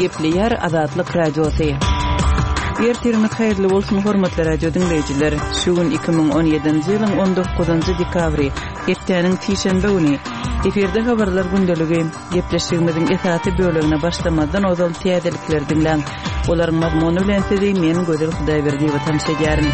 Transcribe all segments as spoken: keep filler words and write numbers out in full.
Gepleýär Azatlyk Radiosy. Ertiriňiz haýyrly bolsun, hormatly radio diňleýjiler. Şu gün iki müň on ýedinji ýylyň on dokuzynjy dekabry, hepdäniň sişenbe güni. Efirde habarlar gündeligi. Gepleşigimiziň esasy bölegine başlamazdan ozal täzelikleri diňläň. Olaryň mazmuny bilen sizi men Gözel Hudaýberdiýewa tanyş edýärin.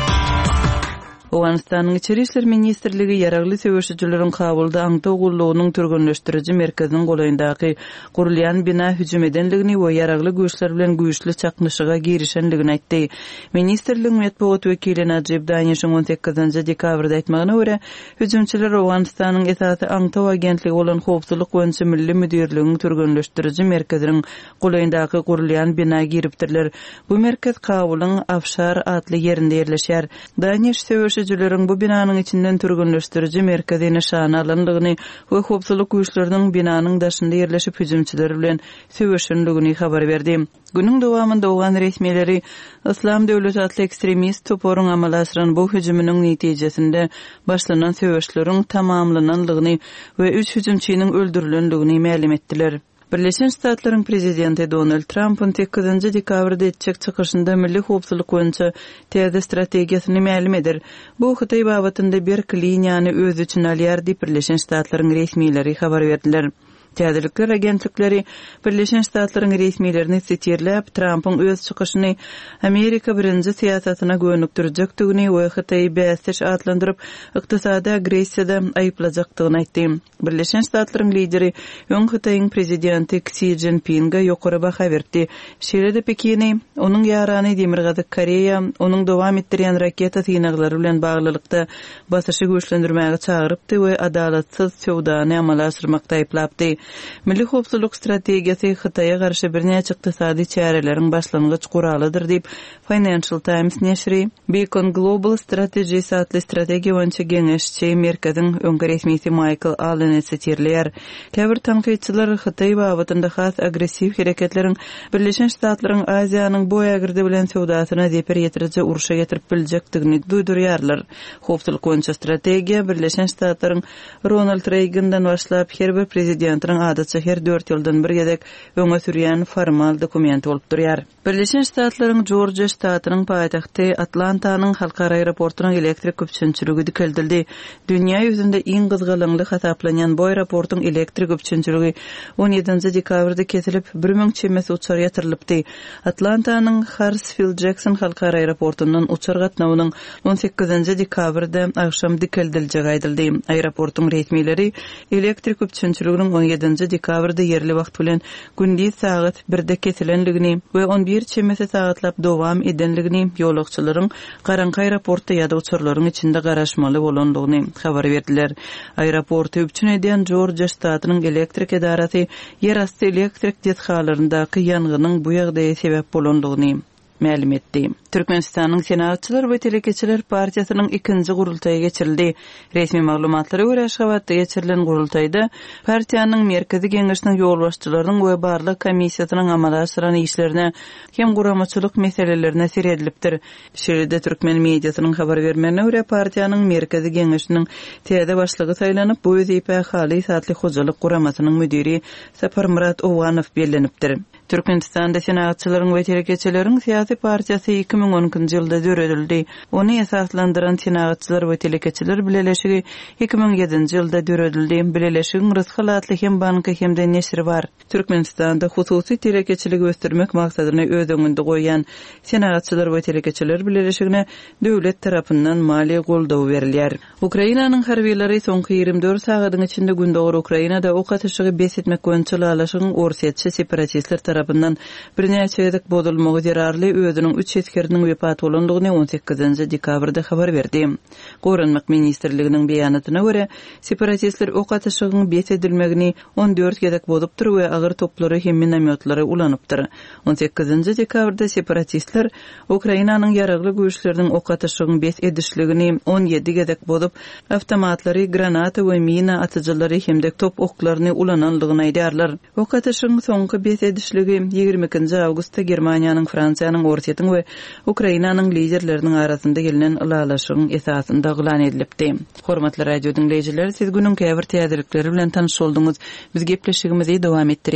Owganystanyň Içeri işler ministrligi ýaragly söweşijileriň Kabulda aňtaw gullugynyň türgenleşdiriji merkeziniň golaýyndaky gurulýan bina hüjüm edendigini we ýaragly güýçler bilen güýçli çaknyşyga girişendigini aýtdy. Ministrligiň metbugat wekili Najib Danişiň on sekizinji dekabrda aýtmagyna görä, hüjümçiler Owganystanyň esasy aňtaw agentligi bolan Howpsuzlyk boýunça milli müdirligiň türgenleşdiriji merkeziniň golaýyndaky gurulýan bina giripdirler. Bu merkez Kabulyň Afşar atly ýerinde ýerleşýär. Daniş söweşijileriň bu binanyň içinden türgenleşdiriji merkezi nyşana alandygyny we howpsuzlyk güýçleriniň binanyň daşynda ýerleşip hüjümçiler bilen söweşendigini habar berdi. Günüň dowamynda owgan resmileri Yslam döwleti atly ekstremist toparyň amala aşyran bu hüjüminiň netijesinde başlanan söweşleriň tamamlanandygyny we üç hüjümçiniň öldürilendigini mälim etdiler. Birleşen Ştatlaryň prezidenti Donald Tramp on sekizinji dekabrda etjek çykyşynda milli howpsuzlyk boýunça täze strategiýasyny mälim eder. Bu Hytaý babatynda berk liniýany öz içine alýar diýip Birleşen Ştatlaryň resmileri habar berdiler. Täzelikler agentlikleri Birleşen Ştatlaryň resmilerini sitirläp, Trampyň öz çykyşyny Amerika birinji syýasatyna gönükdirjekdigini we Hytaýy bäsdeş atlandyryp, ykdysady agressiýada aýyplajakdygyny aýtdy. Birleşen Ştatlaryň lideri öň Hytaýyň prezidenti Xi Jinpinge ýokary baha berdi. Şeýle-de Pekini, onuň ýarany Demirgazyk Koreýa, onuň dowam etdirýän raketa synaglary bilen baglylykda basyşy güýçlendirmäge çagyrypdy we adalatsyz söwdany amala aşyrmakda aýyplapdy. Milli howpsuzlyk strategiýasy Hytaýa garşy birnäçe ykdysady çäreleriň başlangyç guralydyr diýip Financial Times neşiri Beacon Global Strategies atly strategiýa boýunça geňeşçi merkeziň öňki resmisi Michael Alleny sitirleýär. Käbir tankytçylar Hytaý babatynda has agressiw hereketleriň Birleşen Ştatlaryň Aziýanyň bu ägirdi bilen söwdasyna zeper ýetiriji urşa getirip biljekdigini duýdurýarlar. Howpsuzlyk boýunça strategiýa Birleşen Ştatlaryň Ronald Reagandan başlap her bir prezidentiniň adatça her dört ýyldan bir gezek öňe sürýän formal dokumenti bolup durýar. Birleşen Ştatlaryň Georgia ştatynyň paýtagty Atlantanyň halkara aeroportunyň elektrik üpjünçiligi dikeldildi. Dünýä ýüzünde iň gyzgalaňly hasaplanýan bu aeroportuň elektrik üpjünçiligi on ýedinji dekabrda kesilip, bir müň çemesi uçar ýatyrylypdy. Atlantanyň Hartsfield-Jackson halkara aeroportundan uçar gatnawynyň on sekizinji dekabrda agşam dikeldiljegi aýdyldy. Aeroportuň resmileri elektrik üpjünçiliginiň on ýedinji dekabrda ýerli wagt bilen gündiz sagat birde kesilenligini we on bir çemesi sagatlap dowam edenligini, ýolagçylaryň garaňky aeroportda ýa-da uçarlaryň içinde garaşmaly bolandygyny habar berdiler. Aeroporty üpjün edýän Georgia ştatynyň elektrik edarasy ýerasty elektrik desgalaryndaky ýangynyň bu ýagdaýa sebäp bolandygyny mälim etdi. Türkmenistanyň Senagatçylar we Telekeçiler partiýasynyň ikinji gurultaýy geçirildi. Resmi maglumatlara görä Aşgabatda geçirilen gurultaýda partiýanyň Merkezi Geňeşiniň ýolbaşçylarynyň we barlag komissiýasynyň amala aşyran işlerine hem guramaçylyk meselelerine seredilipdir. Şeýle-de Türkmen mediasynyň habar bermegine görä partiýanyň Merkezi Geňeşiniň täze başlygy saýlanyp, bu wezipä Halys atly hojalyk guramasynyň müdiri Saparmyrat Owganow bellenipdir. Türkmenistanda Senagatçylaryň we Telekeçileriň syýasy partiýasy iki müň on ikinji ýylda döredildi. Ony esaslandyran Senagatçylar we Telekeçiler Bileleşigi iki müň ýedinji ýylda döredildi. Bileleşigiň Rysgal atly hem banky hem de neşiri bar. Türkmenistanda hususy telekeçiligi ösdürmek maksadyny öz öňünde goýan Senagatçylar we Telekeçiler Bileleşigine döwlet tarapyndan maliýe goldawy berilýär. Ukrainanyň harbylary soňky ýigrimi dört sagadyň içinde Gündogar Ukrainada ok atyşygy bes etmek boýunça ylalaşygyň orsýetçi separatistler tarapyndan birnäçe gezek bozulmagy zerarly özüniň üç esgeriniň wepat bolandygyny on sekizinji dekabrda habar berdi. Goranmak ministrliginiň beýanatyna görä, separatistler ok atyşygyň bes edilmegini on dört gezek bozupdyr we agyr toplary hem minomyotlary ulanypdyr. On sekizinji dekabrda separatistler Ukrainanyň ýaragly güýçleriniň ok atyşygyň bes edişligini on ýedi gezek bozup, avtomatlary, granata we mina atyjylary hem de top oklaryny ulanandygyny aýdarlar. Ok atyşygyň soňky bes edişligi ýigrimi ikinji awgustda Germaniýanyň, Fransiýanyň, Orsýetiň we Ukrainanyň liderleriniň arasynda gelinen ylalaşygyň esasynda yglan edilipdi. Hormatly radio diňleýjiler, siz günüň käbir täzelikleri bilen tanyş bolduňyz. Biz gepleşigimizi dowam etdirýäris.